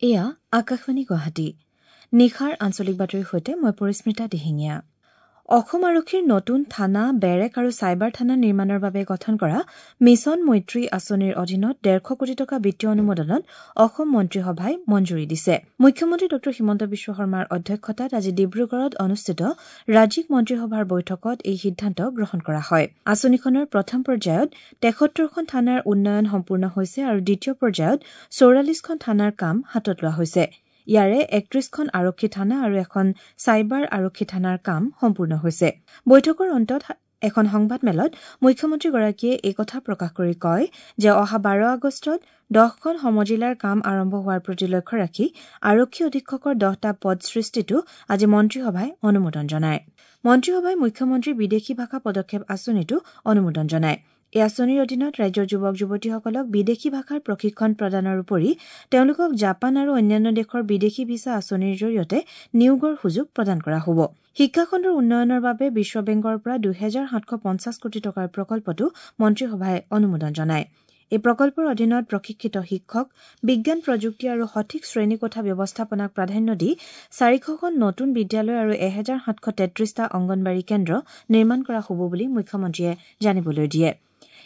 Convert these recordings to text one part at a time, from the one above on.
এয়া আকাশবাণী গুৱাহাটী। নিশাৰ আঞ্চলিক বাতৰিৰ সৈতে মই পৰিস্মিতা দিহিঙীয়া। অসম আৰক্ষীৰ নতুন থানা, বেৰেক আৰু চাইবাৰ থানা নিৰ্মাণৰ বাবে গঠন কৰা মিছন মৈত্ৰী আঁচনিৰ অধীনত ১৫০ কোটি টকা বিত্তীয় অনুমোদনত অসম মন্ত্ৰীসভাই মঞ্জুৰি দিছে। মুখ্যমন্ত্ৰী ড হিমন্ত বিশ্ব শৰ্মাৰ অধ্যক্ষতাত আজি ডিব্ৰুগড়ত অনুষ্ঠিত ৰাজ্যিক মন্ত্ৰীসভাৰ বৈঠকত এই সিদ্ধান্ত গ্ৰহণ কৰা হয়। আঁচনিখনৰ প্ৰথম পৰ্যায়ত ৭৩খন থানাৰ উন্নয়ন সম্পূৰ্ণ হৈছে আৰু দ্বিতীয় পৰ্যায়ত ৪৪খন থানাৰ কাম হাতত লোৱা হৈছে। ইয়াৰে ৩১খন আৰক্ষী থানা আৰু এখন চাইবাৰ আৰক্ষী থানাৰ কাম সম্পূৰ্ণ হৈছে। বৈঠকৰ অন্তত এখন সংবাদমেলত মুখ্যমন্ত্ৰীগৰাকীয়ে এই কথা প্ৰকাশ কৰি কয় যে অহা ১২ আগষ্টত ১০খন সমজিলাৰ কাম আৰম্ভ হোৱাৰ প্ৰতি লক্ষ্য ৰাখি আৰক্ষী অধীক্ষকৰ ১০টা পদ সৃষ্টিতো আজি মন্ত্ৰীসভাই অনুমোদন জনায়। মন্ত্ৰীসভাই মুখ্যমন্ত্ৰীৰ বিদেশী ভাষা পদক্ষেপ আঁচনিতো অনুমোদন জনায়। এই আঁচনিৰ অধীনত ৰাজ্যৰ যুৱক যুৱতীসকলক বিদেশী ভাষাৰ প্ৰশিক্ষণ প্ৰদানৰ উপৰি তেওঁলোকক জাপান আৰু অন্যান্য দেশৰ বিদেশী ভিছা আঁচনিৰ জৰিয়তে নিয়োগৰ সুযোগ প্ৰদান কৰা হ'ব। শিক্ষাখণ্ডৰ উন্নয়নৰ বাবে বিশ্ব বেংকৰ পৰা ২৭৫০ কোটি টকাৰ প্ৰকল্পতো মন্ত্ৰীসভাই অনুমোদন জনায়। এই প্ৰকল্পৰ অধীনত প্ৰশিক্ষিত শিক্ষক, বিজ্ঞান প্ৰযুক্তি আৰু সঠিক শ্ৰেণীকোঠা ব্যৱস্থাপনাক প্ৰাধান্য দি ৪০০খন নতুন বিদ্যালয় আৰু ১৭৩৩টা অংগনবাড়ী কেন্দ্ৰ নিৰ্মাণ কৰা হ'ব বুলি মুখ্যমন্ত্ৰীয়ে জানিবলৈ দিয়ে।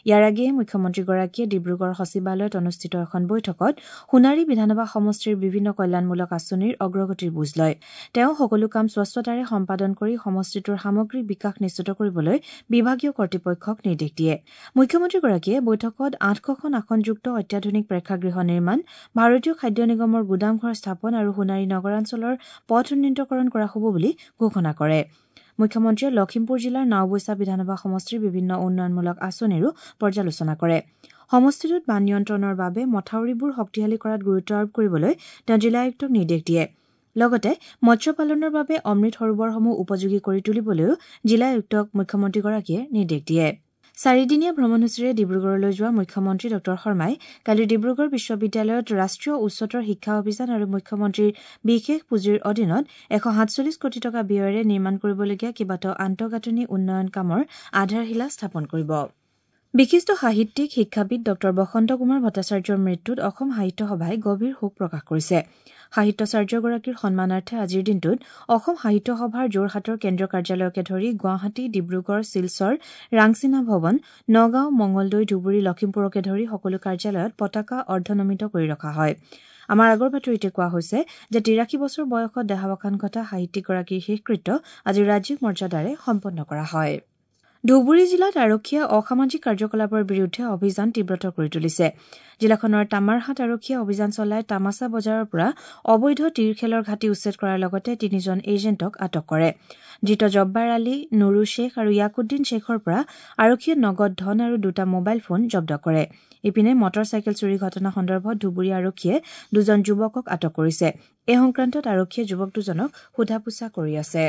ইয়াৰ আগেয়ে মুখ্যমন্ত্ৰীগৰাকীয়ে ডিব্ৰুগড় সচিবালয়ত অনুষ্ঠিত এখন বৈঠকত সোণাৰী বিধানসভা সমষ্টিৰ বিভিন্ন কল্যাণমূলক আঁচনিৰ অগ্ৰগতিৰ বুজ লয়। তেওঁ সকলো কাম স্বচ্ছতাৰে সম্পাদন কৰি সমষ্টিটোৰ সামগ্ৰিক বিকাশ নিশ্চিত কৰিবলৈ বিভাগীয় কৰ্তৃপক্ষক নিৰ্দেশ দিয়ে। মুখ্যমন্ত্ৰীগৰাকীয়ে বৈঠকত ৮০০খন আসনযুক্ত অত্যাধুনিক প্ৰেক্ষাগৃহ নিৰ্মাণ, ভাৰতীয় খাদ্য নিগমৰ গুদামঘৰ স্থাপন আৰু সোণাৰী নগৰাঞ্চলৰ পথ উন্নীতকৰণ কৰা হ'ব বুলি ঘোষণা কৰে। মুখ্যমন্ত্ৰীয়ে লখিমপুৰ জিলাৰ নাওবৈচা বিধানসভা সমষ্টিৰ বিভিন্ন উন্নয়নমূলক আঁচনিৰো পৰ্যালোচনা কৰে। সমষ্টিটোত বান নিয়ন্ত্ৰণৰ বাবে মথাউৰিবোৰ শক্তিশালী কৰাত গুৰুত্ব আৰোপ কৰিবলৈ তেওঁ জিলা আয়ুক্তক নিৰ্দেশ দিয়ে। লগতে মৎস্য পালনৰ বাবে অমৃত সৰোবৰসমূহ উপযোগী কৰি তুলিবলৈও জিলা আয়ুক্তক মুখ্যমন্ত্ৰীগৰাকীয়ে নিৰ্দেশ দিয়ে। চাৰিদিনীয়া ভ্ৰমণসূচীৰে ডিব্ৰুগড়লৈ যোৱা মুখ্যমন্ত্ৰী ড শৰ্মাই কালি ডিব্ৰুগড় বিশ্ববিদ্যালয়ত ৰাষ্ট্ৰীয় উচ্চতৰ শিক্ষা অভিযান আৰু মুখ্যমন্ত্ৰীৰ বিশেষ পুঁজিৰ অধীনত ১৪৭ কোটি টকা ব্যয়েৰে নিৰ্মাণ কৰিবলগীয়া কেইবাটাও আন্তঃগাঁথনি উন্নয়ন কামৰ আধাৰশিলা স্থাপন কৰিব। বিশিষ্ট সাহিত্যিক, শিক্ষাবিদ ড বসন্ত কুমাৰ ভট্টাচাৰ্যৰ মৃত্যুত অসম সাহিত্য সভাই গভীৰ শোক প্ৰকাশ কৰিছে। সাহিত্যাচাৰ্যগৰাকীৰ সন্মানাৰ্থে আজিৰ দিনটোত অসম সাহিত্য সভাৰ যোৰহাটৰ কেন্দ্ৰীয় কাৰ্যালয়কে ধৰি গুৱাহাটী, ডিব্ৰুগড়, শিলচৰ, ৰাংচিনা ভৱন, নগাঁও, মঙলদৈ, ধুবুৰী, লখিমপুৰকে ধৰি সকলো কাৰ্যালয়ত পতাকা অৰ্ধনমিত কৰি ৰখা হয়। আমাৰ আগৰ বাতৰিতে কোৱা হৈছে যে ৮৩ বছৰ বয়সত দেহাৱসান ঘটা সাহিত্যিকগৰাকীৰ শেষকৃত্য আজি ৰাজ্যিক মৰ্যাদাৰে সম্পন্ন কৰা হয়। ধুবুৰী জিলাত আৰক্ষীয়ে অসামাজিক কাৰ্যকলাপৰ বিৰুদ্ধে অভিযান তীব্ৰতৰ কৰি তুলিছে। জিলাখনৰ তামাৰহাট আৰক্ষীয়ে অভিযান চলাই তামাচা বজাৰৰ পৰা অবৈধ তীৰ খেলৰ ঘাটি উচ্ছেদ কৰাৰ লগতে ৩জন এজেণ্টক আটক কৰে। ধৃত জব্বাৰ আলী, নুৰু শ্বেখ আৰু ইয়াকুদ্দিন শ্বেখৰ পৰা আৰক্ষীয়ে নগদ ধন আৰু ২টা মোবাইল ফোন জব্দ কৰে। ইপিনে মটৰ চাইকেল চুৰি ঘটনা সন্দৰ্ভত ধুবুৰী আৰক্ষীয়ে ২জন যুৱকক আটক কৰিছে। এই সংক্ৰান্তত আৰক্ষীয়ে যুৱক দুজনক সোধা পোছা কৰি আছে।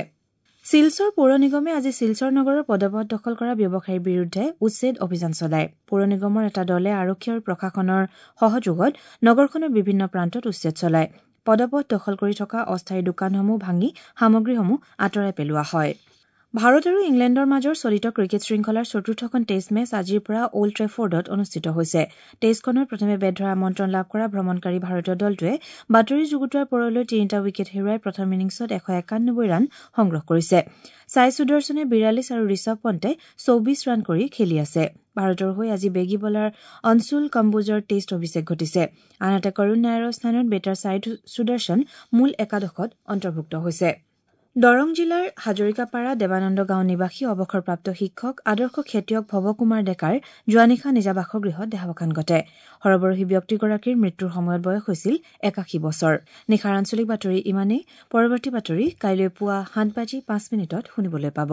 শিলচৰ পৌৰ নিগমে আজি শিলচৰ নগৰৰ পদপথ দখল কৰা ব্যৱসায়ীৰ বিৰুদ্ধে উচ্ছেদ অভিযান চলায়। পৌৰ নিগমৰ এটা দলে আৰক্ষী আৰু প্ৰশাসনৰ সহযোগত নগৰখনৰ বিভিন্ন প্ৰান্তত উচ্ছেদ চলায়। পদপথ দখল কৰি থকা অস্থায়ী দোকানসমূহ ভাঙি সামগ্ৰীসমূহ আঁতৰাই পেলোৱা হয়। ভাৰত আৰু ইংলেণ্ডৰ মাজৰ চলিত ক্ৰিকেট শৃংখলাৰ চতুৰ্থখন টেষ্ট মেচ আজিৰ পৰা অল্ড ট্ৰেফৰ্ডত অনুষ্ঠিত হৈছে। টেষ্টখনত প্ৰথমে বেট ধৰাৰ আমন্ত্ৰণ লাভ কৰা ভ্ৰমণকাৰী ভাৰতীয় দলটোৱে বাতৰি যুগুতোৱাৰ পৰলৈ ৩টা উইকেট হেৰুৱাই প্ৰথম ইনিংছত ১৯১ ৰান সংগ্ৰহ কৰিছে। ছাই সুদৰ্শনে ৪২ আৰু ঋষভ পণ্টে ২৪ ৰান কৰি খেলি আছে। ভাৰতৰ হৈ আজি বেগী বলাৰ অনশুল কম্বোজৰ টেষ্ট অভিষেক ঘটিছে। আনহাতে কৰুণ নায়াৰৰ স্থানত বেটাৰ ছাই সুদৰ্শন মূল একাদশত অন্তৰ্ভুক্ত হৈছে। দৰং জিলাৰ হাজৰিকাপাৰা দেৱানন্দ গাঁও নিবাসী অৱসৰপ্ৰাপ্ত শিক্ষক আদৰ্শ খেতিয়ক ভৱকুমাৰ ডেকাৰ যোৱা নিশা নিজা বাসগৃহত দেহাৱসান ঘটে। সৰবৰহী ব্যক্তিগৰাকীৰ মৃত্যুৰ সময়ত বয়স হৈছিল ৮১ বছৰ। নিশাৰ আঞ্চলিক বাতৰি ইমানেই। পৰৱৰ্তী বাতৰি কাইলৈ পুৱা ৭:০৫ শুনিবলৈ পাব।